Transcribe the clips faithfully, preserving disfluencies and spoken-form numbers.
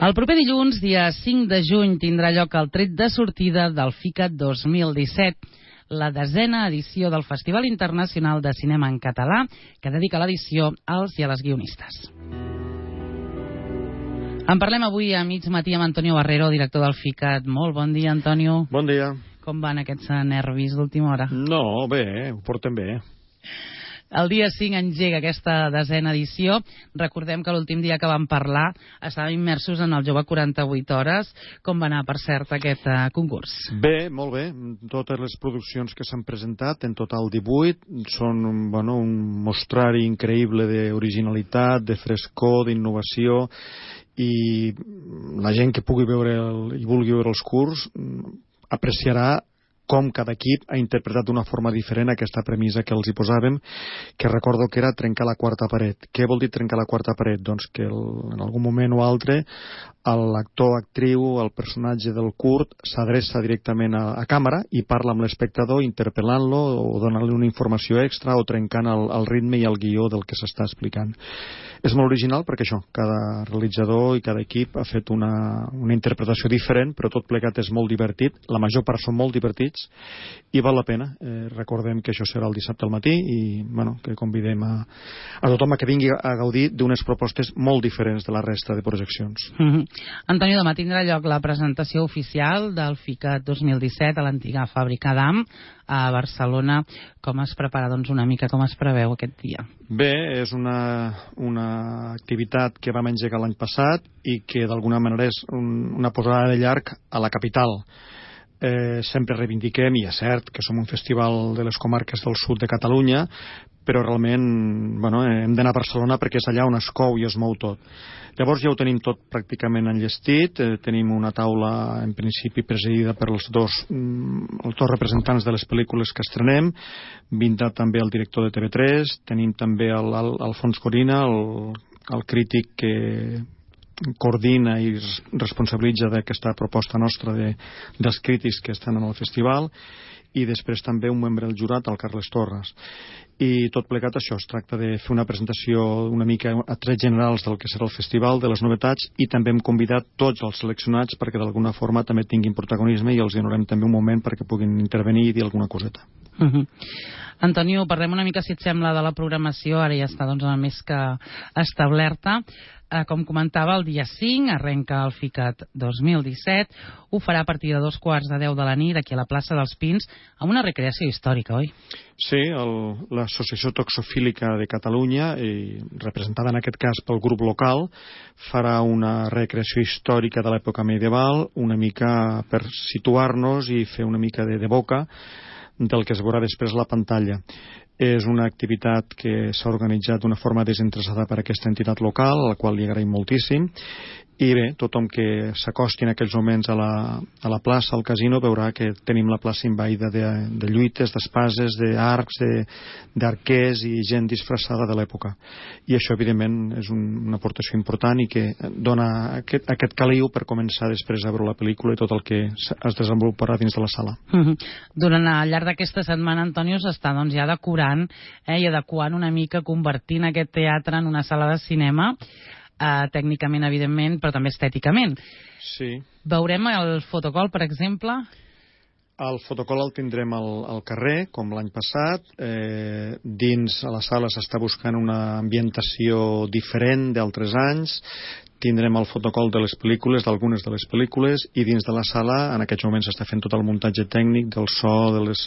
El proper dilluns, dia cinc de juny, tindrà lloc el tret de sortida del FICAT dos mil disset, la desena edició del Festival Internacional de Cinema en Català, que dedica l'edició als i a les guionistes. En parlem avui a mig matí amb Antonio Barrero, director del FICAT. Molt bon dia, Antonio. Bon dia. Com van aquests nervis d'última hora? No, bé, ho portem bé. El dia cinc engega aquesta desena edició. Recordem que l'últim dia que vam parlar estàvem immersos en el Jove quaranta-vuit hores. Com va anar, per cert, aquest uh, concurs? Bé, molt bé. Totes les produccions que s'han presentat, en total divuit, són bueno, un mostrari increïble d'originalitat, de frescor, d'innovació, i la gent que pugui veure el, i vulgui veure els curs apreciarà com cada equip ha interpretat d'una forma diferent aquesta premissa que els hi posàvem, que recordo que era trencar la quarta paret. Què vol dir trencar la quarta paret? Doncs que el, en algun moment o altre l'actor, actriu, el personatge del curt s'adreça directament a, a càmera i parla amb l'espectador interpel·lant-lo o donant-li una informació extra o trencant el, el ritme i el guió del que s'està explicant. És molt original perquè això, cada realitzador i cada equip ha fet una, una interpretació diferent, però tot plegat és molt divertit. La major part són molt divertits i val la pena. Eh, recordem que això serà el dissabte al matí i bueno, que convidem a, a tothom a que vingui a gaudir d'unes propostes molt diferents de la resta de projeccions. Mm-hmm. Antonio, demà tindrà lloc la presentació oficial del FICAT dos mil disset a l'antiga fàbrica d'A M a Barcelona. Com es prepara, doncs, una mica, com es preveu aquest dia? Bé, és una, una activitat que vam engegar l'any passat i que d'alguna manera és un, una posada de llarg a la capital. Eh, sempre reivindiquem, i és cert que som un festival de les comarques del sud de Catalunya, però realment bueno, hem d'anar a Barcelona perquè és allà on es cou i es mou tot. Llavors ja ho tenim tot pràcticament enllestit, eh, tenim una taula en principi presidida per els dos, mm, els dos representants de les pel·lícules que estrenem, vindat també el director de T V tres, tenim també el, el, Alfons Corina, el, el crític que coordina i responsabilitza d'aquesta proposta nostra de, dels crítics que estan en el festival, i després també un membre del jurat, el Carles Torres. I tot plegat això, es tracta de fer una presentació una mica a trets generals del que serà el festival, de les novetats, i també hem convidat tots els seleccionats perquè d'alguna forma també tinguin protagonisme i els donarem també un moment perquè puguin intervenir i dir alguna coseta. Uh-huh. Antonio, parlem una mica, si et sembla, de la programació. Ara ja està doncs, més que establerta. Eh, com comentava, el dia cinc arrenca el FICAT dos mil disset. Ho farà a partir de dos quarts de deu de la nit aquí a la plaça dels Pins, amb una recreació històrica, oi? Sí, l'Associació Toxofílica de Catalunya, i representada en aquest cas pel grup local, farà una recreació històrica de l'època medieval, una mica per situar-nos i fer una mica de, de boca del que es veurà després a la pantalla. És una activitat que s'ha organitzat d'una forma desinteressada per aquesta entitat local, a la qual li agraïm moltíssim, i bé, tothom que s'acosti en aquells moments a la, a la plaça, al casino, veurà que tenim la plaça invaïda de, de lluites, d'espases, d'arcs, d'arquers i gent disfressada de l'època. I això, evidentment, és un, una aportació important i que dona aquest, aquest caliu per començar després a veure la pel·lícula i tot el que es desenvoluparà dins de la sala. Mm-hmm. Durant al llarg d'aquesta setmana, Antonio, s'està doncs, ja decorant eh, i adequant una mica, convertint aquest teatre en una sala de cinema, Uh, tècnicament, evidentment, però també estèticament. Sí. Veurem el fotocol, per exemple? El fotocol el tindrem al, al carrer, com l'any passat. Eh, dins a la sala s'està buscant una ambientació diferent d'altres anys. Tindrem el fotocol de les pel·lícules, d'algunes de les pel·lícules, i dins de la sala en aquests moments s'està fent tot el muntatge tècnic del so, de les,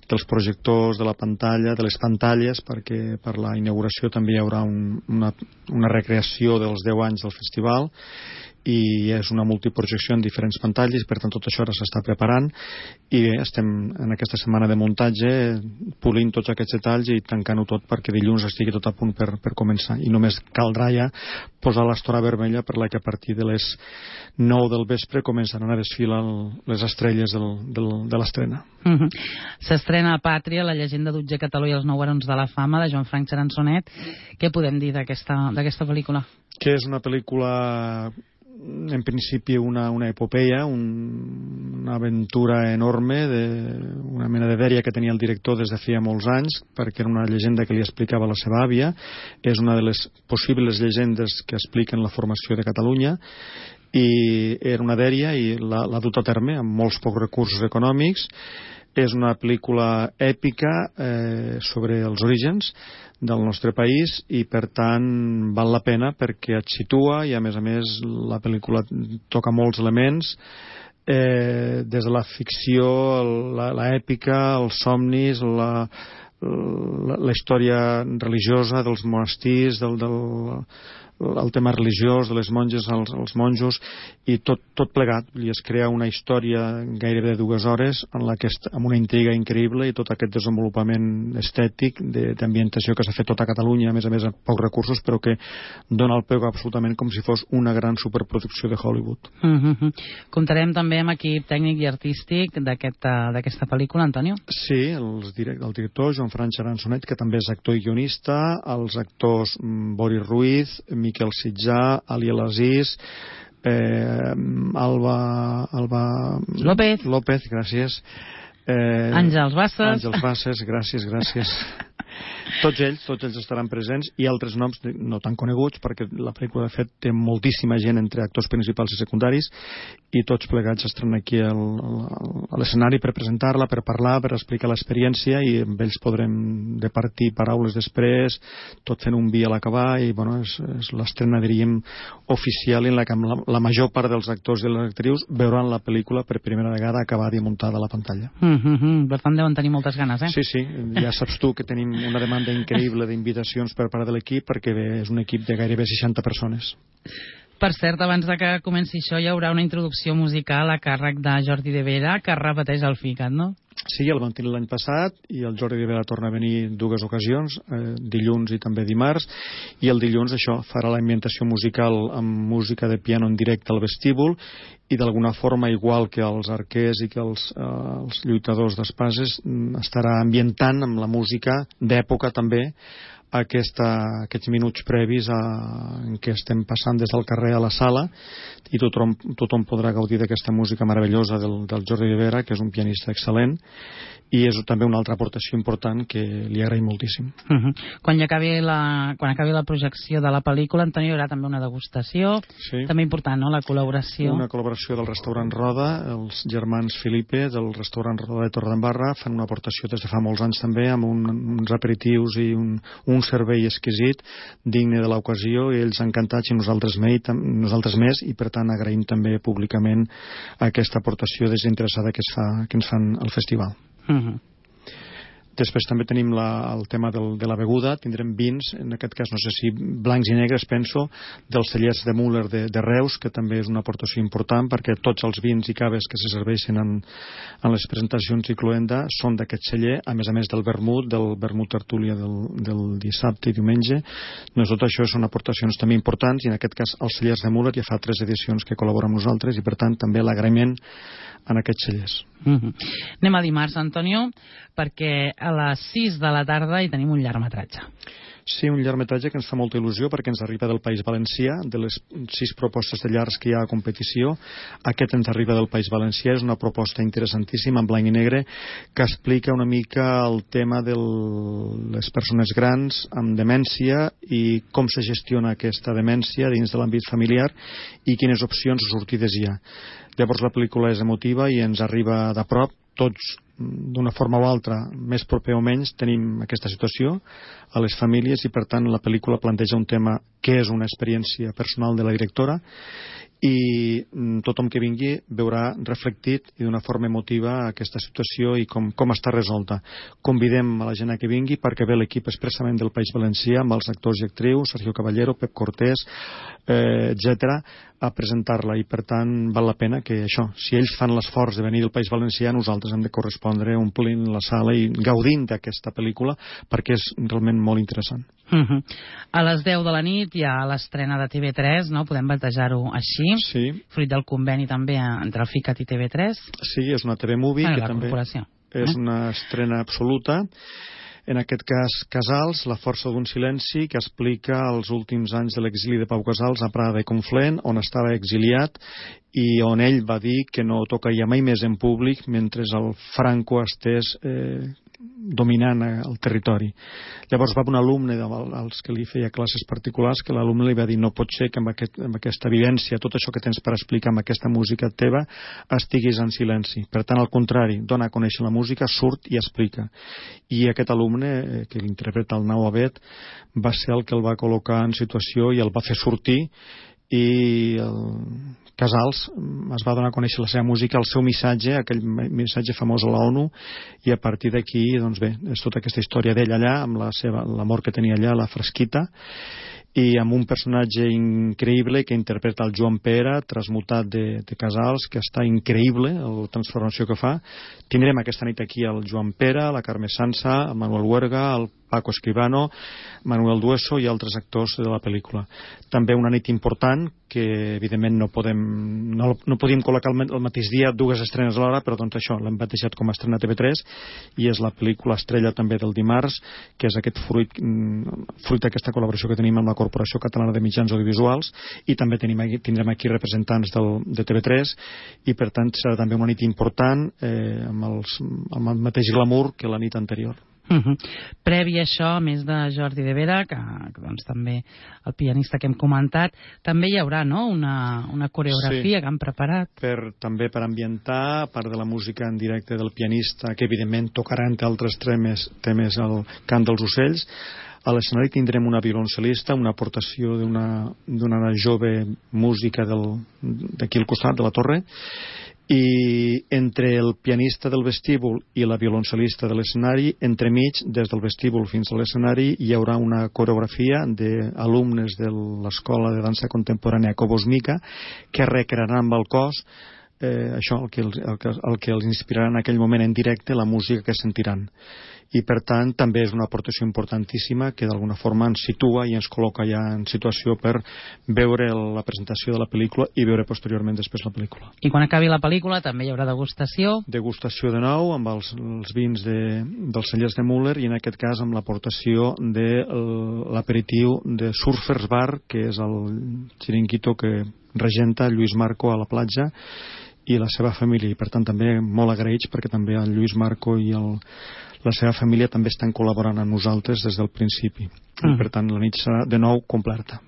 dels projectors, de la pantalla, de les pantalles, perquè per la inauguració també hi haurà un, una, una recreació dels deu anys del festival, i és una multiprojecció en diferents pantalles, per tant tot això ara s'està preparant i bé, estem en aquesta setmana de muntatge polint tots aquests detalls i tancant-ho tot perquè dilluns estigui tot a punt per, per començar, i només caldrà ja posar l'estora vermella per la que a partir de les nou del vespre començaran a desfilar les estrelles del, del, de l'estrena. Mm-hmm. S'estrena a Pàtria, la llegenda d'Utge Cataló i els nou barons de la fama, de Joan Frank Charançonet. Què podem dir d'aquesta d'aquesta pel·lícula? Que és una pel·lícula en principi una, una epopeia, un, una aventura enorme, de, una mena de dèria que tenia el director des de feia molts anys, perquè era una llegenda que li explicava la seva àvia. És una de les possibles llegendes que expliquen la formació de Catalunya, i era una dèria i l'ha dut a terme amb molts pocs recursos econòmics. És una pel·lícula èpica eh, sobre els orígens del nostre país i per tant val la pena perquè et situa i a més a més la pel·lícula toca molts elements eh, des de la ficció, l'èpica, els somnis, la, la, la història religiosa dels monestirs, del, del, el tema religiós de les monges, els, els monjos i tot, tot plegat, i es crea una història gairebé de dues hores en la que amb una intriga increïble i tot aquest desenvolupament estètic d'ambientació que s'ha fet tot a Catalunya, a més a més amb pocs recursos, però que dona el peu absolutament com si fos una gran superproducció de Hollywood. Mm-hmm. Comptarem també amb equip tècnic i artístic d'aquesta aquest, pel·lícula, Antonio? Sí, els direct, el director Joan França Aransonet, que també és actor i guionista, els actors Boris Ruiz, Miquel Sitjà, Ali El Aziz, eh, Alba, Alba López, López, gràcies. Eh, Àngels Bassas. Àngels Bassas, gràcies, gràcies. Tots ells, tots ells estaran presents i altres noms no tan coneguts perquè la pel·lícula de fet té moltíssima gent entre actors principals i secundaris i tots plegats estan aquí al, a l'escenari per presentar-la, per parlar, per explicar l'experiència i amb ells podrem departir paraules després, tot fent un vi a l'acabar i bueno, és, és l'estrena diríem oficial en la que la, la major part dels actors i les actrius veuran la pel·lícula per primera vegada acabada i muntada a la pantalla. Mm-hmm. Per tant deuen tenir moltes ganes, eh? Sí, sí, ja saps tu que tenim una demanda increïble d'invitacions per part de l'equip perquè bé, és un equip de gairebé seixanta persones. Per cert, abans de que comenci això hi haurà una introducció musical a càrrec de Jordi de Vera que repeteix el FICAT, no? Sí, el van tenir l'any passat i el Jordi de Vera torna a venir dues ocasions, eh, dilluns i també dimarts, i el dilluns això farà la ambientació musical amb música de piano en directe al vestíbul i d'alguna forma, igual que els arquers i que els, eh, els lluitadors d'espases, estarà ambientant amb la música d'època també aquesta, aquests minuts previs a, en què estem passant des del carrer a la sala i tothom, tothom podrà gaudir d'aquesta música meravellosa del, del Jordi de Vera, que és un pianista excel·lent i és també una altra aportació important que li agraïm moltíssim. Uh-huh. Quan, acabi la, quan acabi la projecció de la pel·lícula, Antoni, hi haurà també una degustació, sí. També important, no?, la col·laboració. Una col·laboració del restaurant Roda, els germans Filipe del restaurant Roda de Torredembarra fan una aportació des de fa molts anys també amb un, uns aperitius i un, un servei exquisit, digne de l'ocasió, i ells encantats i nosaltres, me, nosaltres més, i per tant agraïm també públicament aquesta aportació desinteressada que, es fa, que ens fan al festival. Uh-huh. Després també tenim la, el tema del, de la beguda, tindrem vins, en aquest cas no sé si blancs i negres, penso, dels cellers de Müller de, de Reus, que també és una aportació important perquè tots els vins i caves que se serveixen en, en les presentacions i cloenda són d'aquest celler, a més a més del vermut, del vermut tertúlia del, del dissabte i diumenge. Doncs tot això són aportacions també importants i en aquest cas els cellers de Müller ja fa tres edicions que col·labora amb nosaltres i per tant també l'agraïment en aquests cellers. Uh-huh. Anem a dimarts, Antonio, perquè a les sis de la tarda hi tenim un llargmetratge. Sí, un llargmetratge que ens fa molta il·lusió perquè ens arriba del País Valencià, de les sis propostes de llargs que hi ha a competició. Aquest ens arriba del País Valencià, és una proposta interessantíssima en blanc i negre que explica una mica el tema de les persones grans amb demència i com se gestiona aquesta demència dins de l'àmbit familiar i quines opcions o sortides hi ha. Llavors la pel·lícula és emotiva i ens arriba de prop, tots d'una forma o altra, més proper o menys, tenim aquesta situació a les famílies i per tant la pel·lícula planteja un tema que és una experiència personal de la directora i tothom que vingui veurà reflectit i d'una forma emotiva aquesta situació i com, com està resolta. Convidem a la gent a que vingui perquè ve l'equip expressament del País Valencià amb els actors i actrius, Sergio Caballero, Pep Cortés, eh, etcètera, a presentar-la i per tant val la pena que això, si ells fan l'esforç de venir del País Valencià, nosaltres hem de correspondre omplint la sala i gaudint d'aquesta pel·lícula perquè és realment molt interessant. Uh-huh. A les deu de la nit hi ha l'estrena de T V tres, no? Podem batejar-ho així, sí. Fruit del conveni també entre el FICAT i T V tres. Sí, és una T V Movie ah, que la també corporació. És eh? una estrena absoluta. En aquest cas, Casals, La força d'un silenci, que explica els últims anys de l'exili de Pau Casals a Prada i Conflent, on estava exiliat i on ell va dir que no tocaria mai més en públic mentre el Franco estés eh, dominant el territori. Llavors va un alumne als que li feia classes particulars que l'alumne li va dir no pot ser que amb, aquest, amb aquesta vivència, tot això que tens per explicar amb aquesta música teva, estiguis en silenci. Per tant, al contrari, dona a conèixer la música, surt i explica. I aquest alumne, que l'interpreta el Nau Abet, va ser el que el va col·locar en situació i el va fer sortir, i el Casals es va donar a conèixer la seva música, el seu missatge, aquell missatge famós a l'ONU, i a partir d'aquí, doncs bé, és tota aquesta història d'ell allà, amb la seva, l'amor que tenia allà, la fresquita, i amb un personatge increïble que interpreta el Joan Pera, transmutat de, de Casals, que està increïble la transformació que fa. Tindrem aquesta nit aquí el Joan Pera, la Carme Sansa, el Manuel Huerga, el Paco Escribano, Manuel Dueso i altres actors de la pel·lícula. També una nit important que evidentment no podem no, no podíem col·locar el, el mateix dia dues estrenes a l'hora, però doncs això l'hem batejat com a estrena a T V tres i és la pel·lícula estrella també del dimarts, que és aquest fruit fruit d'aquesta col·laboració que tenim amb la Corporació Catalana de Mitjans Audiovisuals, i també tenim aquí, tindrem aquí representants del, de T V tres, i per tant serà també una nit important eh, amb, els, amb el mateix glamour que la nit anterior. Uh -huh. Previ a això, a més de Jordi de Vera, que, que doncs, també el pianista que hem comentat, també hi haurà, no?, una, una coreografia sí, que han preparat. Per, també per ambientar, a part de la música en directe del pianista, que evidentment tocarà entre altres temes, temes el cant dels ocells. A l'escenari tindrem una violoncel·lista, una aportació d'una d'una jove música d'aquí al costat de la torre, i entre el pianista del vestíbul i la violoncel·lista de l'escenari, entremig, des del vestíbul fins a l'escenari, hi haurà una coreografia d'alumnes de l'Escola de Dansa Contemporània Cobos Mica que recrearan amb el cos eh, això, el que, els, el, que, el que els inspirarà en aquell moment en directe, la música que sentiran. I per tant també és una aportació importantíssima que d'alguna forma ens situa i ens col·loca ja en situació per veure la presentació de la pel·lícula i veure posteriorment després la pel·lícula. I quan acabi la pel·lícula també hi haurà degustació? Degustació de nou amb els, els vins de, dels cellers de Müller, i en aquest cas amb l'aportació de l'aperitiu de Surfers Bar, que és el xiringuito que regenta Lluís Marco a la platja i la seva família, i per tant també molt agraïts perquè també el Lluís Marco i el la seva família també estan col·laborant amb nosaltres des del principi. Mm. I per tant la nit serà de nou completa.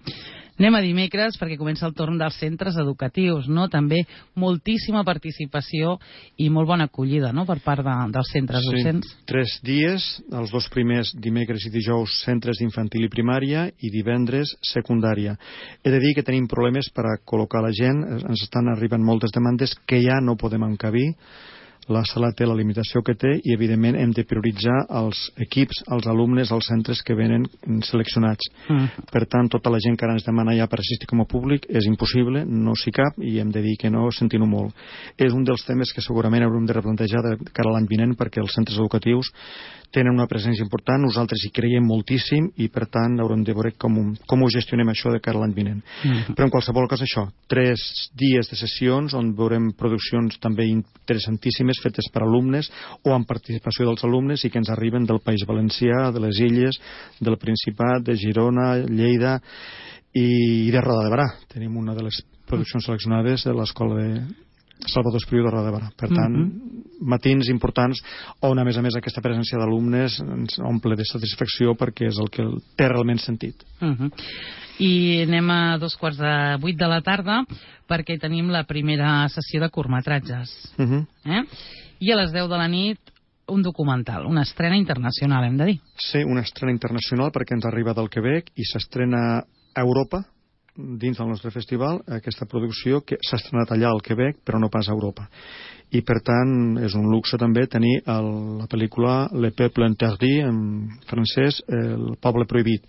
Anem a dimecres perquè comença el torn dels centres educatius, no? També moltíssima participació i molt bona acollida, no?, per part de, dels centres sí, docents. Tres dies, els dos primers dimecres i dijous centres d'infantil i primària i divendres secundària. He de dir que tenim problemes per a col·locar la gent, ens estan arribant moltes demandes que ja no podem encabir. La sala té la limitació que té i evidentment hem de prioritzar els equips, els alumnes, els centres que venen seleccionats. Mm. Per tant, tota la gent que ara ens demana ja per assistir com a públic és impossible, no s'hi cap, i hem de dir que no, sentint-ho molt. És un dels temes que segurament haurem de replantejar de cara a l'any vinent, perquè els centres educatius tenen una presència important, nosaltres hi creiem moltíssim i per tant haurem de veure com, com ho gestionem això de cara a l'any vinent. Mm. Però en qualsevol cas això, tres dies de sessions on veurem produccions també interessantíssimes fetes per alumnes o amb participació dels alumnes i que ens arriben del País Valencià, de les Illes, del Principat, de Girona, Lleida i de Roda de Barà. Tenim una de les produccions seleccionades de l'Escola de Salvador Espriu de Roda de Barà. Per tant, mm-hmm. matins importants on a més a més aquesta presència d'alumnes ens omple de satisfacció perquè és el que té realment sentit. Mm-hmm. I anem a dos quarts de vuit de la tarda perquè tenim la primera sessió de curtmetratges. Mm-hmm. eh? I a les deu de la nit un documental, una estrena internacional, hem de dir. Sí, una estrena internacional perquè ens arriba del Quebec i s'estrena a Europa dins del nostre festival, aquesta producció que s'ha estrenat allà al Quebec però no pas a Europa, i per tant és un luxe també tenir el, la pel·lícula Le Peuple Interdit en francès, El Poble Prohibit,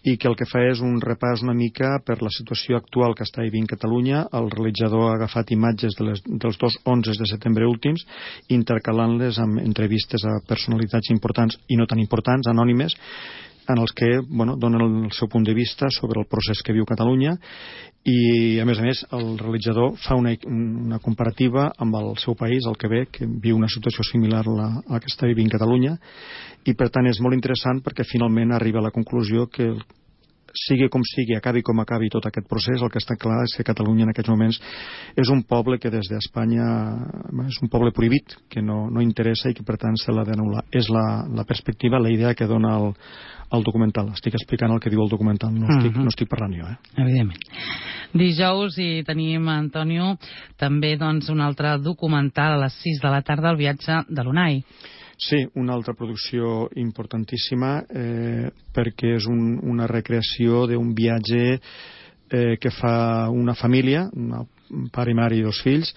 i que el que fa és un repàs una mica per la situació actual que està vivint Catalunya. El realitzador ha agafat imatges de les, dels dos onze de setembre últims, intercalant-les amb entrevistes a personalitats importants i no tan importants, anònimes, en els que bueno, donen el seu punt de vista sobre el procés que viu Catalunya, i a més a més el realitzador fa una, una comparativa amb el seu país, el Quebec, que viu una situació similar a la, a la que està vivint Catalunya, i per tant és molt interessant perquè finalment arriba a la conclusió que sigui com sigui, acabi com acabi tot aquest procés, el que està clar és que Catalunya en aquests moments és un poble que des d'Espanya és un poble prohibit, que no, no interessa i que per tant se l'ha d'anul·lar. És la, la perspectiva, la idea que dona el, el documental. Estic explicant el que diu el documental, no estic, uh-huh. no estic parlant jo. Eh? Evidentment. Dijous hi tenim, Antonio, també doncs, un altre documental a les sis de la tarda, El viatge de l'Unai. Sí, una altra producció importantíssima eh, perquè és un, una recreació d'un viatge eh, que fa una família, una pare i mare i dos fills,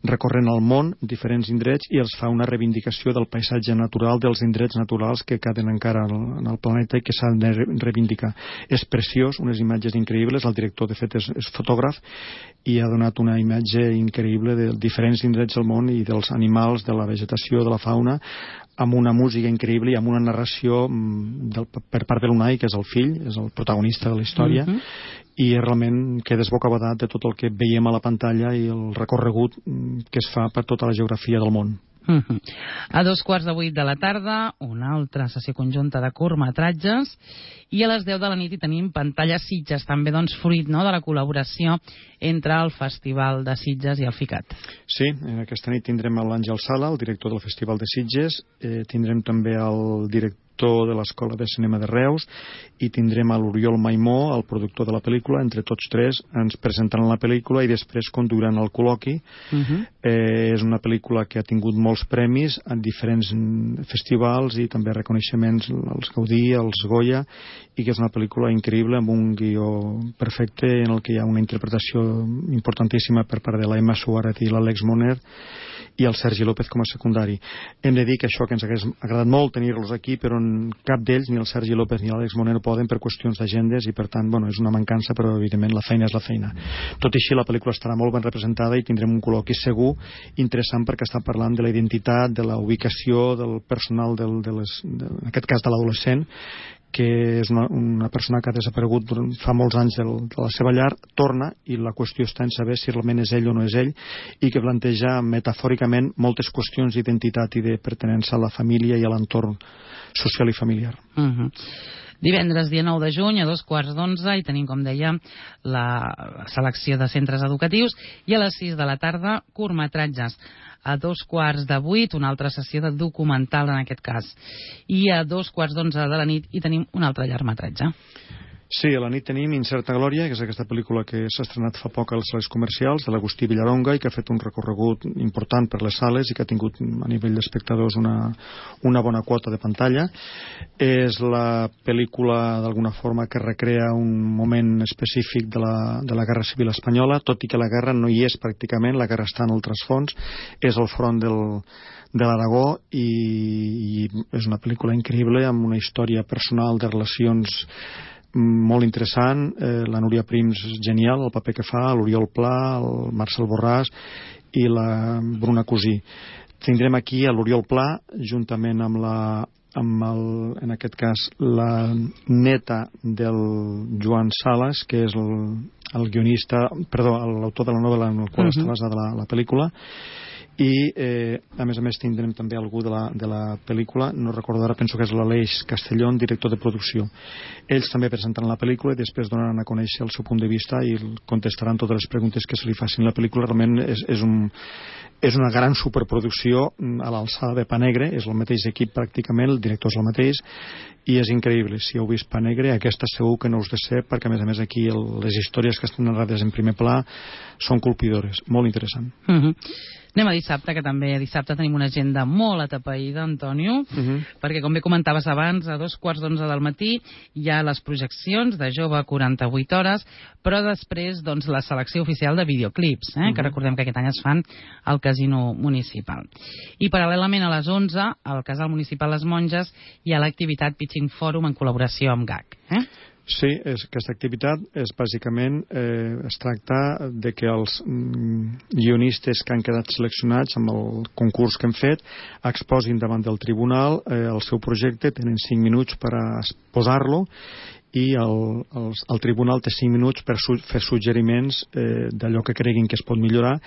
recorrent el món, diferents indrets, i els fa una reivindicació del paisatge natural, dels indrets naturals que queden encara en el planeta i que s'han de reivindicar. És preciós, unes imatges increïbles, el director de fet és, és fotògraf i ha donat una imatge increïble de diferents indrets del món i dels animals, de la vegetació, de la fauna, amb una música increïble i amb una narració del, per part de l'Unai, que és el fill, és el protagonista de la història, uh-huh. i realment quedes bocabadat de tot el que veiem a la pantalla i el recorregut que es fa per tota la geografia del món. Uh-huh. A dos quarts de vuit de la tarda, una altra sessió conjunta de curtmetratges, i a les deu de la nit hi tenim Pantalla Sitges, també doncs fruit, no?, de la col·laboració entre el Festival de Sitges i el FICAT. Sí, aquesta nit tindrem l'Àngel Sala, el director del Festival de Sitges, eh, tindrem també el director de l'Escola de Cinema de Reus i tindrem a l'Oriol Maimó, el productor de la pel·lícula. Entre tots tres ens presentaran la pel·lícula i després conduiran el col·loqui. Uh-huh. eh, és una pel·lícula que ha tingut molts premis en diferents festivals i també reconeixements als Gaudí, als Goya, i que és una pel·lícula increïble amb un guió perfecte en el que hi ha una interpretació importantíssima per part de la Emma Suárez i l'Àlex Moner i el Sergi López com a secundari. Hem de dir que això que ens hagués agradat molt tenir-los aquí, però cap d'ells, ni el Sergi López ni l'Àlex Moner, poden per qüestions d'agendes i per tant, bueno, és una mancança, però evidentment la feina és la feina. Tot i així la pel·lícula estarà molt ben representada i tindrem un col·loqui segur interessant perquè està parlant de la identitat, de la ubicació del personal del, de les, de, en aquest cas de l'adolescent, que és una, una persona que ha desaparegut fa molts anys del, de la seva llar, torna i la qüestió està en saber si realment és ell o no és ell, i que planteja metafòricament moltes qüestions d'identitat i de pertinença a la família i a l'entorn social i familiar. Uh-huh. Divendres, dia nou de juny, a dos quarts d'onze, i tenim, com deia, la selecció de centres educatius, i a les sis de la tarda, curtmetratges. A dos quarts de vuit, una altra sessió de documental en aquest cas. I a dos quarts d'onze de la nit hi tenim un altre llargmetratge. Sí, a la nit tenim Incerta Glòria, que és aquesta pel·lícula que s'ha estrenat fa poc als sales comercials, de l'Agustí Villaronga, i que ha fet un recorregut important per les sales i que ha tingut a nivell d'espectadors una, una bona quota de pantalla. És la pel·lícula, d'alguna forma, que recrea un moment específic de la, de la Guerra Civil Espanyola, tot i que la guerra no hi és pràcticament, la guerra està en el trasfons, és el front del, de l'Aragó, i, i és una pel·lícula increïble, amb una història personal de relacions molt interessant. eh, la Núria Prims genial, el paper que fa, l'Oriol Pla, el Marcel Borràs i la Bruna Cosí. Tindrem aquí a l'Oriol Pla juntament amb la amb el, en aquest cas la neta del Joan Sales, que és el, el guionista, perdó, l'autor de la novel·la en el qual uh-huh. està basada la, la pel·lícula. I eh, a més a més tindrem també algú de la, de la pel·lícula, no recordo ara, penso que és l'Aleix Castellón, director de producció. Ells també presentaran la pel·lícula i després donaran a conèixer el seu punt de vista i contestaran totes les preguntes que se li facin. La pel·lícula realment és, és, un, és una gran superproducció a l'alçada de Pa Negre, és el mateix equip pràcticament, el director és el mateix, i és increïble. Si heu vist Pa Negre, aquesta segur que no us decep, perquè a més a més aquí el, les històries que estan narrades en primer pla són colpidores, molt interessant. Mhm. Anem a dissabte, que també dissabte tenim una agenda molt atapeïda, Antonio, uh-huh. perquè, com bé comentaves abans, a dos quarts d'onze del matí hi ha les projeccions de Jove quaranta-vuit hores, però després, doncs, la selecció oficial de videoclips, eh, uh-huh. que recordem que aquest any es fan al Casino Municipal. I paral·lelament a les onze, al Casal Municipal Les Monges, hi ha l'activitat Pitching Forum en col·laboració amb G A C. Eh? Sí, és, aquesta activitat és bàsicament, eh, es tracta de que els mm, guionistes que han quedat seleccionats amb el concurs que hem fet exposin davant del tribunal eh, el seu projecte, tenen cinc minuts per a posar-lo i el, el, el tribunal té cinc minuts per su, fer suggeriments eh, d'allò que creguin que es pot millorar,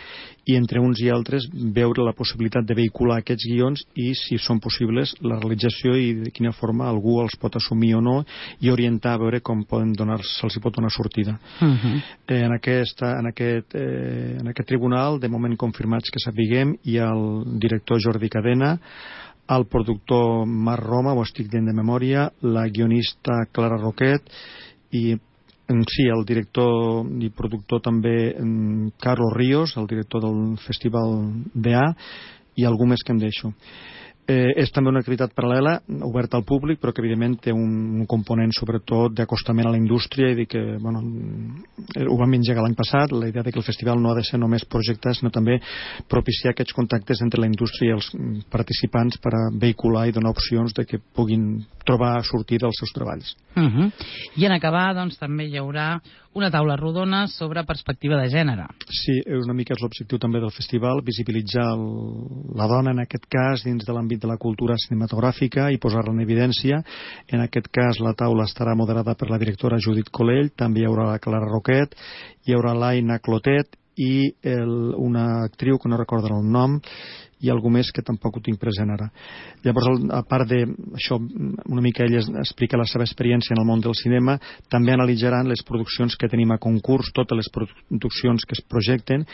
i entre uns i altres veure la possibilitat de vehicular aquests guions i, si són possibles, la realització i de quina forma algú els pot assumir o no, i orientar a veure com poden donar, se'ls hi pot donar sortida. Uh-huh. eh, en, aquesta, en, aquest, eh, en aquest tribunal, de moment confirmats que sapiguem, hi ha el director Jordi Cadena, el productor Marc Roma, ho estic dient de memòria, la guionista Clara Roquet i en si el director i productor també Carlos Ríos, el director del Festival D A, i algú més que em deixo. Eh, és també una activitat paral·lela, oberta al públic, però que evidentment té un, un component sobretot d'acostament a la indústria, i dir que, bueno, ho vam engegar l'any passat, la idea de que el festival no ha de ser només projectar, sinó també propiciar aquests contactes entre la indústria i els participants per a vehicular i donar opcions de que puguin trobar sortida als seus treballs. Uh-huh. I en acabar, doncs, també hi haurà una taula rodona sobre perspectiva de gènere. Sí, una mica és l'objectiu també del festival, visibilitzar el, la dona, en aquest cas, dins de l'àmbit de la cultura cinematogràfica, i posar-la en evidència. En aquest cas, la taula estarà moderada per la directora Judit Colell, també hi haurà la Clara Roquet, hi haurà l'Aina Clotet i el, una actriu que no recordo el nom, i algú més que tampoc ho tinc present ara. Llavors, a part d'això, una mica ella explica la seva experiència en el món del cinema, també analitzaran les produccions que tenim a concurs, totes les produccions que es projecten,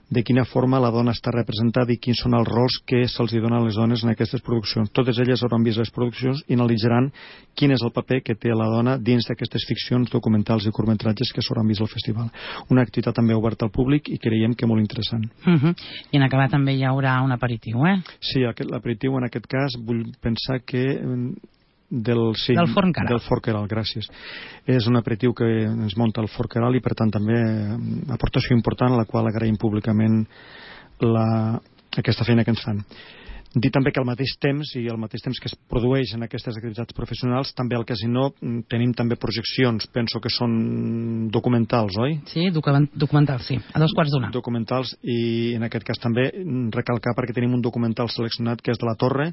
de quina forma la dona està representada i quins són els rols que se'ls donen a les dones en aquestes produccions. Totes elles hauran vist les produccions i analitzaran quin és el paper que té la dona dins d'aquestes ficcions, documentals i curtmetratges que s'hauran vist al festival. Una activitat també oberta al públic i creiem que molt interessant. Uh-huh. I en acabar també hi haurà un aperitiu. Eh? Sí, l'aperitiu en aquest cas vull pensar que del, sí, del Forn Caral. Del Forn Caral, gràcies. És un aperitiu que ens munta el Forn Caral i per tant també aportació important, a la qual agraïm públicament la, aquesta feina que ens fan. Dir també que al mateix temps, i al mateix temps que es produeix en aquestes activitats professionals, també al Casino tenim també projeccions, penso que són documentals, oi? Sí, documentals, sí, a dos quarts d'una. Documentals, i en aquest cas també recalcar perquè tenim un documental seleccionat que és de la Torre,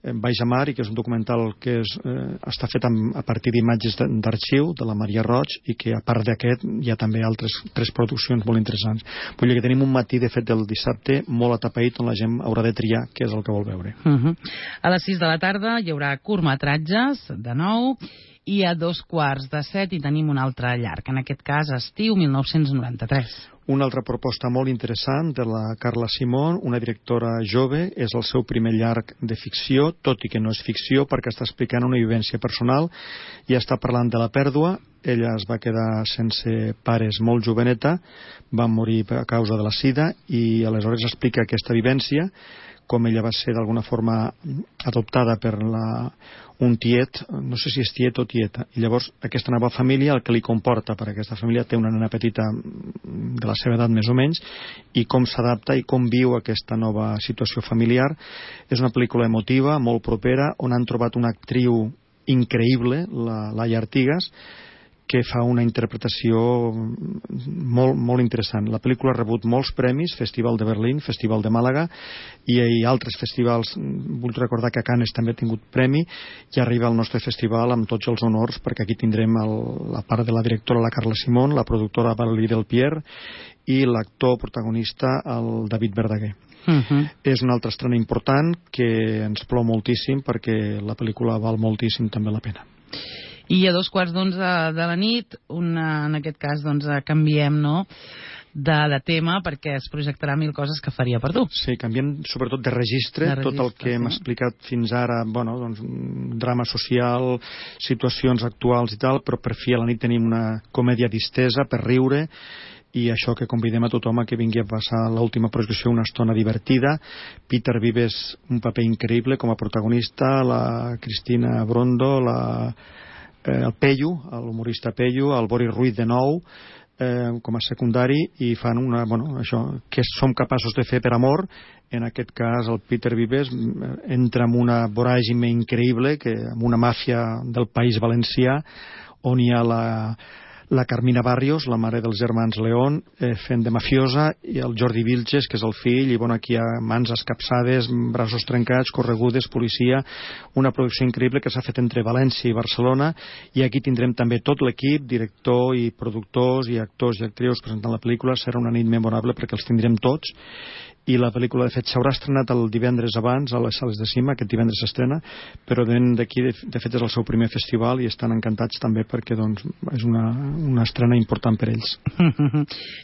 Baix a Mar, i que és un documental que és, eh, està fet amb, a partir d'imatges d'arxiu de la Maria Roig, i que a part d'aquest hi ha també altres tres produccions molt interessants. Vull dir que tenim un matí, de fet, del dissabte molt atapeït, on la gent haurà de triar què és el que vol veure. Uh-huh. A les sis de la tarda hi haurà curtmetratges, de nou, i a dos quarts de set hi tenim un altre llarg, en aquest cas Estiu mil nou-cents noranta-tres. Una altra proposta molt interessant de la Carla Simón, una directora jove, és el seu primer llarg de ficció, tot i que no és ficció perquè està explicant una vivència personal i està parlant de la pèrdua. Ella es va quedar sense pares molt joveneta, va morir a causa de la sida, i aleshores explica aquesta vivència, com ella va ser d'alguna forma adoptada per la, un tiet, no sé si és tiet o tieta, i llavors aquesta nova família, el que li comporta, per aquesta família té una nena petita de la seva edat més o menys, i com s'adapta i com viu aquesta nova situació familiar. És una pel·lícula emotiva, molt propera, on han trobat una actriu increïble, la Laia Artigas, que fa una interpretació molt, molt interessant. La pel·lícula ha rebut molts premis, Festival de Berlín, Festival de Màlaga, i, i altres festivals. Vull recordar que a Cannes també ha tingut premi, i arriba al nostre festival amb tots els honors, perquè aquí tindrem el, la part de la directora, la Carla Simón, la productora Valérie Delpierre, i l'actor protagonista, el David Verdaguer. Uh-huh. És una altra estrena important que ens plou moltíssim, perquè la pel·lícula val moltíssim també la pena. I a dos quarts d'onze de la nit, una, en aquest cas, doncs, canviem, no?, de, de tema, perquè es projectarà Mil coses que faria per tu. Sí, canviem sobretot de registre, de registre tot el que sí. hem explicat fins ara, bueno, doncs, drama social, situacions actuals i tal, però per fi a la nit tenim una comèdia distesa per riure, i això que convidem a tothom a que vingui a passar l'última projecció una estona divertida. Peter Vives, un paper increïble com a protagonista, la Cristina Brondo, la Eh, el Pello, l'humorista Pello, el Boris Ruiz de nou, eh, com a secundari, i fan una, bueno, això, que som capaços de fer per amor. En aquest cas el Peter Vives entra en una voràgine increïble, que amb una màfia del País Valencià, on hi ha la la Carmina Barrios, la mare dels germans León, eh, fent de mafiosa, i el Jordi Vilches, que és el fill, i bueno, aquí hi ha mans escapçades, braços trencats, corregudes, policia, una producció increïble que s'ha fet entre València i Barcelona, i aquí tindrem també tot l'equip, director i productors i actors i actrius presentant la pel·lícula. Serà una nit memorable perquè els tindrem tots, i la pel·lícula de fet s'haurà estrenat el divendres abans a les sales de cinema, aquest divendres s'estrena, però d'aquí de, de fet és el seu primer festival i estan encantats també perquè doncs, és una, una estrena important per ells.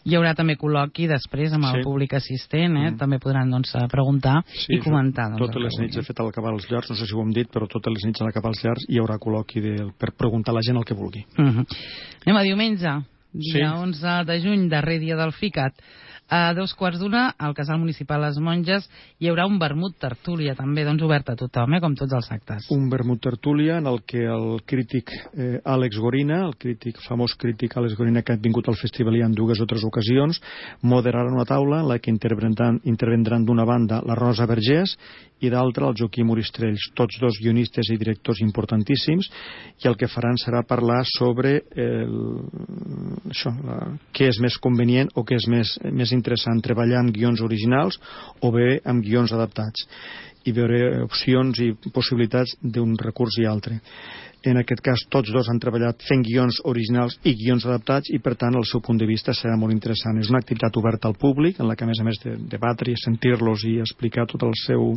Hi haurà també col·loqui després amb el sí. públic assistent, eh? Mm. També podran doncs, preguntar sí, i comentar. Doncs, totes les nits, de fet, al acabar els llars, no sé si ho hem dit, però totes les nits a l'acabar els llars hi haurà col·loqui de, per preguntar a la gent el que vulgui. Mm-hmm. Anem a diumenge, dia sí. onze de juny, darrer dia del FICAT. A dos quarts d'una, al Casal Municipal Les Monges, hi haurà un vermut tertúlia, també doncs obert a tothom, eh, com tots els actes. Un vermut tertúlia en el que el crític eh, Àlex Gorina, el crític, famós crític Àlex Gorina, que ha vingut al festival en dues o tres ocasions, moderarà una taula en la que intervendran, intervendran d'una banda la Rosa Vergés i d'altra el Joaquim Oristrells, tots dos guionistes i directors importantíssims, i el que faran serà parlar sobre el, això, la, què és més convenient o què és més, més interessant, treballar amb guions originals o bé amb guions adaptats, i veure opcions i possibilitats d'un recurs i altre. En aquest cas, tots dos han treballat fent guions originals i guions adaptats, i per tant el seu punt de vista serà molt interessant. És una activitat oberta al públic, en la que a més a més de debatre i sentir-los i explicar tot el seu,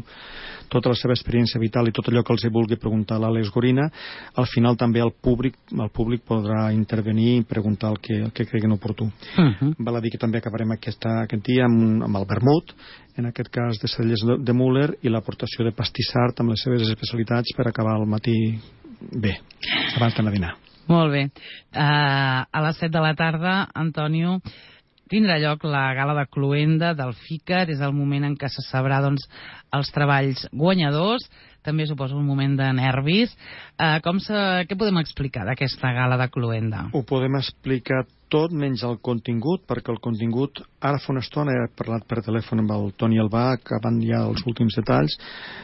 tota la seva experiència vital i tot allò que els vulgui preguntar a l'Àlex Gorina, al final també el públic, el públic podrà intervenir i preguntar el que, el que creguen oportú. Uh-huh. Val a dir que també acabarem aquesta, aquest dia amb, amb el vermut, en aquest cas de celles de Müller, i l'aportació de pastissart amb les seves especialitats per acabar el matí bé, abans d'anar a dinar. Molt bé. Uh, a les set de la tarda, Antonio, tindrà lloc la gala de cloenda del FICAT. És el moment en què se sabrà doncs, els treballs guanyadors. També suposo un moment de nervis. Uh, com se... Què podem explicar d'aquesta gala de cloenda? Ho podem explicar tot menys el contingut, perquè el contingut, ara fa una estona he parlat per telèfon amb el Toni Albà, acabant ja els últims detalls,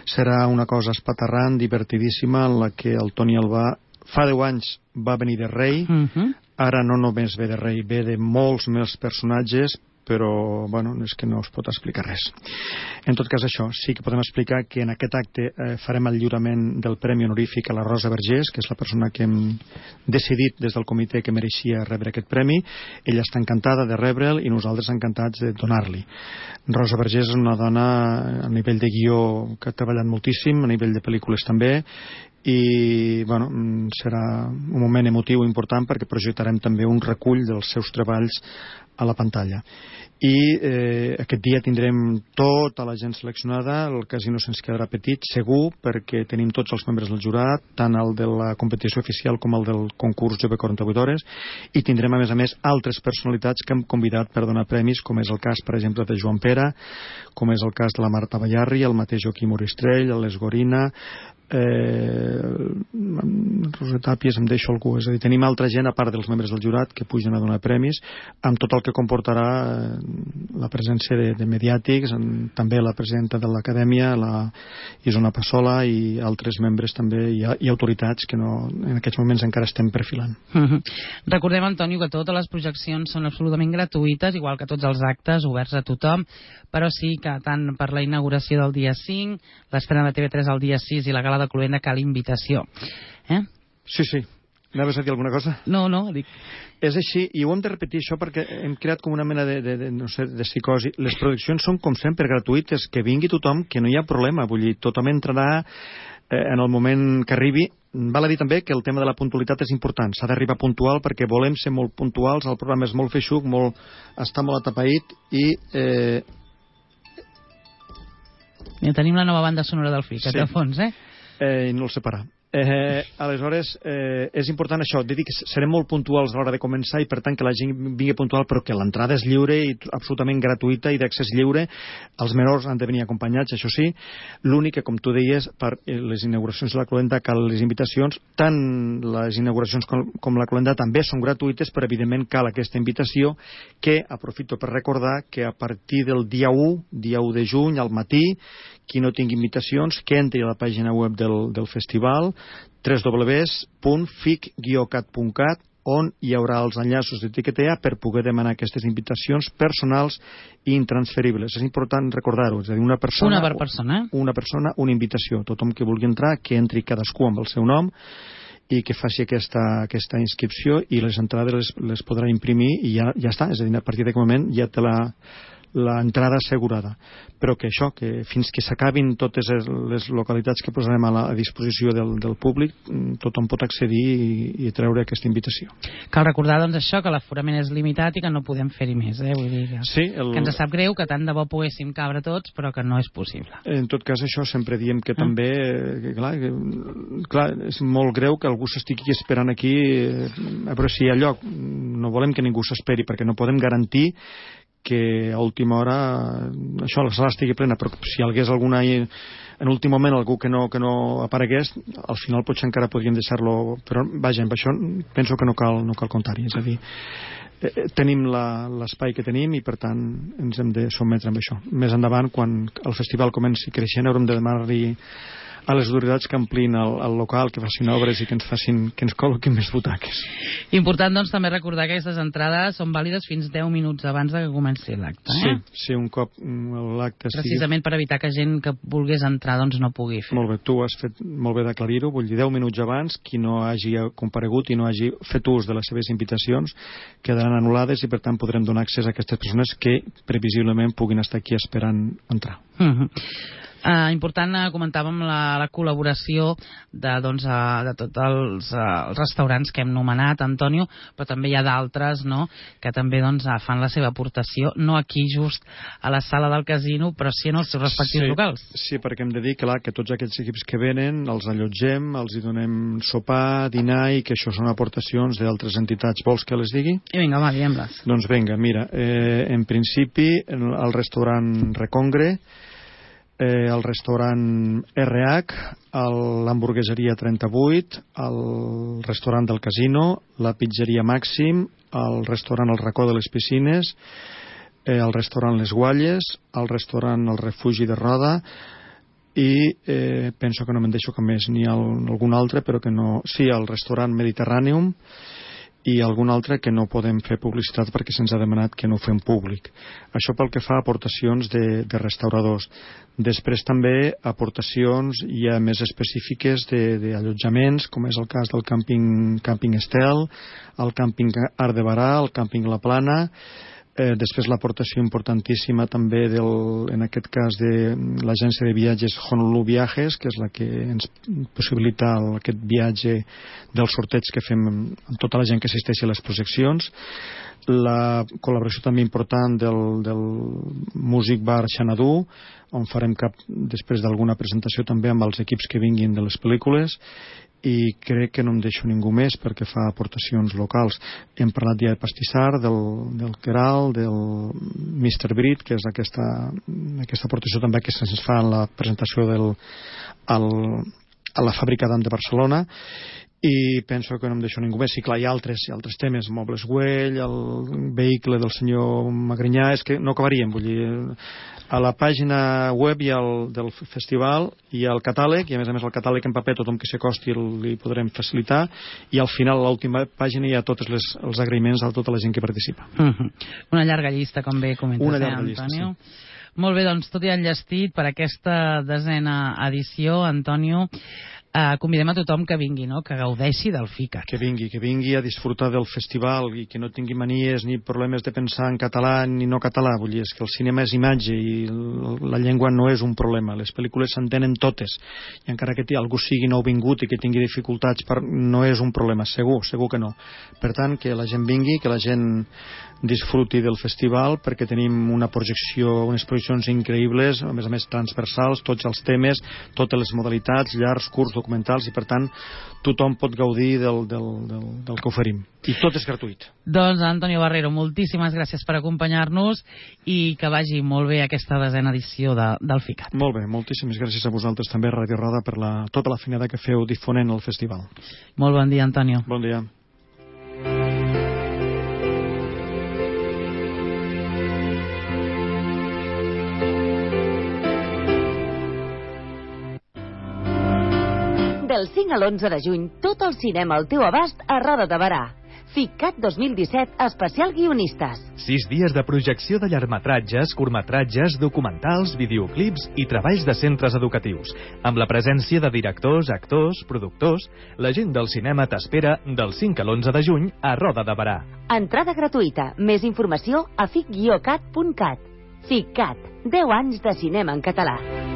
serà una cosa espaterrant, divertidíssima, en la que el Toni Albà fa deu anys va venir de rei, uh-huh. Ara no només ve de rei, ve de molts més personatges, però bueno, és que no us pot explicar res. En tot cas, això, sí que podem explicar que en aquest acte eh, farem el lliurament del Premi Honorífic a la Rosa Vergés, que és la persona que hem decidit des del comitè que mereixia rebre aquest premi. Ella està encantada de rebre'l i nosaltres encantats de donar-li. Rosa Vergés és una dona a nivell de guió que ha treballat moltíssim, a nivell de pel·lícules també, i bueno, serà un moment emotiu important perquè projectarem també un recull dels seus treballs a la pantalla. I eh, aquest dia tindrem tota la gent seleccionada, el casino se'ns quedarà petit, segur, perquè tenim tots els membres del jurat, tant el de la competició oficial com el del concurs Jove quaranta-vuit hores, i tindrem a més a més altres personalitats que hem convidat per donar premis, com és el cas, per exemple, de Joan Pera, com és el cas de la Marta Ballarri, el mateix Joaquim Oristrell, l'Àlex Gorina, eh, Rosa Tàpies, em deixo algú, és a dir, tenim altra gent a part dels membres del jurat que pugen a donar premis, amb tot el que comportarà eh, la presència de, de mediàtics, en, també la presidenta de l'acadèmia, la Isona Passola, i altres membres també, i, i autoritats que no, en aquests moments encara estem perfilant. Mm-hmm. Recordem, Antonio, que totes les projeccions són absolutament gratuïtes, igual que tots els actes oberts a tothom, però sí que tant per la inauguració del dia cinc, l'estrena de T V tres el dia sis i la gala de cloenda cal invitació. Eh? Sí, sí. Anaves a dir alguna cosa? No, no, dic... És així, i ho hem de repetir això perquè hem creat com una mena de, de, de, no sé, de psicosi. Les produccions són, com sempre, gratuïtes, que vingui tothom, que no hi ha problema, vull dir, tothom entrarà eh, en el moment que arribi. Val a dir també que el tema de la puntualitat és important, s'ha d'arribar puntual perquè volem ser molt puntuals, el programa és molt feixuc, molt, està molt atapeït, i... Eh... Ja tenim la nova banda sonora del FICAT, sí. A fons, eh? Eh, no el sé parar. Eh, aleshores, eh, és important això, de dir que serem molt puntuals a l'hora de començar i per tant que la gent vingui puntual, però que l'entrada és lliure i absolutament gratuïta i d'accés lliure. Els menors han de venir acompanyats, això sí. L'únic que, com tu deies, per les inauguracions de la cloenda cal les invitacions, tant les inauguracions com, com la cloenda també són gratuïtes, però evidentment cal aquesta invitació, que aprofito per recordar que a partir del dia u, dia u de juny, al matí, qui no tingui invitacions, que entri a la pàgina web del, del festival, w w w punt fic guió cat punt cat, on hi haurà els enllaços de Tiquetea per poder demanar aquestes invitacions personals i intransferibles. És important recordar-ho, és a dir, una persona, una per persona, una persona, una invitació. Tothom que vulgui entrar, que entri cadascú amb el seu nom i que faci aquesta, aquesta inscripció, i les entrades les, les podrà imprimir i ja, ja està, és a dir, a partir d'aquest moment ja té la l'entrada assegurada, però que això, que fins que s'acabin totes les localitats que posarem a la a disposició del, del públic, tothom pot accedir i, i treure aquesta invitació. Cal recordar, doncs, això, que l'aforament és limitat i que no podem fer-hi més, eh? Vull dir que, sí, el... que ens sap greu, que tant de bo poguéssim cabre tots, però que no és possible. En tot cas, això sempre diem que ah. també, que, clar, que, clar, és molt greu que algú s'estigui esperant aquí a veure si hi ha lloc. No volem que ningú s'esperi, perquè no podem garantir que a última hora això, la sala estigui plena, però si hi hagués alguna en últim moment algú que no, que no aparegués, al final potser encara podríem deixar-lo, però vaja, amb això penso que no cal, no cal comptar-hi, és a dir, eh, tenim l'espai que tenim i per tant ens hem de sotmetre amb això. Més endavant, quan el festival comenci creixent, haurem de demanar-li a les autoritats que amplin el, el local, que facin obres i que ens facin, que ens col·loquin més butaques. Important, doncs, també recordar que aquestes entrades són vàlides fins deu minuts abans de que comenci l'acte. Eh? Sí, sí, un cop l'acte estigui... Precisament per evitar que gent que volgués entrar doncs no pugui fer. Molt bé, tu has fet molt bé d'aclarir-ho, vull dir, deu minuts abans, qui no hagi comparegut i no hagi fet ús de les seves invitacions quedaran anul·lades i per tant podrem donar accés a aquestes persones que previsiblement puguin estar aquí esperant entrar. Mm-hmm. Uh, important, uh, comentàvem la, la col·laboració de, doncs, uh, de tots els, uh, els restaurants que hem nomenat, Antonio, però també hi ha d'altres, no?, que també doncs, uh, fan la seva aportació, no aquí just a la sala del casino, però sí en els seus respectius sí, locals. Sí, perquè hem de dir clar, que tots aquests equips que venen els allotgem, els hi donem sopar, dinar, i que això són aportacions d'altres entitats. Vols que les digui? I vinga, va, diguem-les. Doncs vinga, mira, eh, en principi el restaurant Recongre, Eh, el restaurant R H, l'hamburgueseria trenta-vuit, el restaurant del Casino, la pizzeria Màxim, el restaurant El Racó de les Piscines, eh, el restaurant Les Gualles, el restaurant El Refugi de Roda i eh, penso que no me'n deixo cap més, ni el, algun altre, però que no... Sí, el restaurant Mediterrànium i algun altre que no podem fer publicitat perquè se'ns ha demanat que no ho fem públic. Això pel que fa a aportacions de, de restauradors. Després també aportacions ja més específiques d'allotjaments, com és el cas del càmping, càmping Estel, el càmping Art de Barà, el càmping La Plana. Eh, després l'aportació importantíssima també del, en aquest cas de l'agència de viatges Honolulu Viajes, que és la que ens possibilita el, aquest viatge del sorteig que fem amb tota la gent que assisteixi a les projeccions. La col·laboració també important del, del Music Bar Xanadu, on farem cap, després d'alguna presentació també amb els equips que vinguin de les pel·lícules, i crec que no em deixo ningú més perquè fa aportacions locals. Hem parlat ja de Pastissar, del, del Queral, del mister Brit, que és aquesta, aquesta aportació també que se'ns fa en la presentació del, al, a la Fàbrica d'Am de Barcelona, i penso que no em deixo ningú més. Sí, clar, hi ha altres, hi ha altres temes, Mobles Güell, el vehicle del senyor Magrinyà, és que no acabaríem, vull dir, a la pàgina web hi ha el, del festival, hi ha el catàleg, i a més a més el catàleg en paper, tothom que s'acosti li podrem facilitar, i al final, a l'última pàgina, hi ha tots les, els agraïments a tota la gent que participa. Uh-huh. Una llarga llista, com bé comentes, Una llarga eh, llista, Antonio? Sí. Molt bé, doncs tot i enllestit per aquesta desena edició, Antonio. Uh, convidem a tothom que vingui, no?, que gaudeixi del FICAC. Que vingui, que vingui a disfrutar del festival i que no tingui manies ni problemes de pensar en català ni no català. Vull dir, és que el cinema és imatge i la llengua no és un problema. Les pel·lícules s'entenen totes i encara que algú sigui nouvingut i que tingui dificultats, per... no és un problema, segur, segur que no. Per tant, que la gent vingui, que la gent disfruti del festival, perquè tenim una projecció, unes projeccions increïbles, a més a més transversals, tots els temes, totes les modalitats, llargs, curts, documentals, i per tant tothom pot gaudir del, del, del, del que oferim. I tot és gratuït. Doncs, Antonio Barrero, moltíssimes gràcies per acompanyar-nos i que vagi molt bé aquesta desena edició de, del FICAC. Molt bé, moltíssimes gràcies a vosaltres també, Ràdio Roda, per la, tota la feinada que feu difonent el festival. Molt bon dia, Antonio. Bon dia. Del cinc a l'onze de juny, tot el cinema al teu abast a Roda de Barà. FICCAT dos mil disset, especial guionistes. Sis dies de projecció de llargmetratges, curtmetratges, documentals, videoclips i treballs de centres educatius. Amb la presència de directors, actors, productors, la gent del cinema t'espera del cinc a l'onze de juny a Roda de Berà. Entrada gratuïta. Més informació a fic guió cat punt cat. FICCAT. deu anys de cinema en català.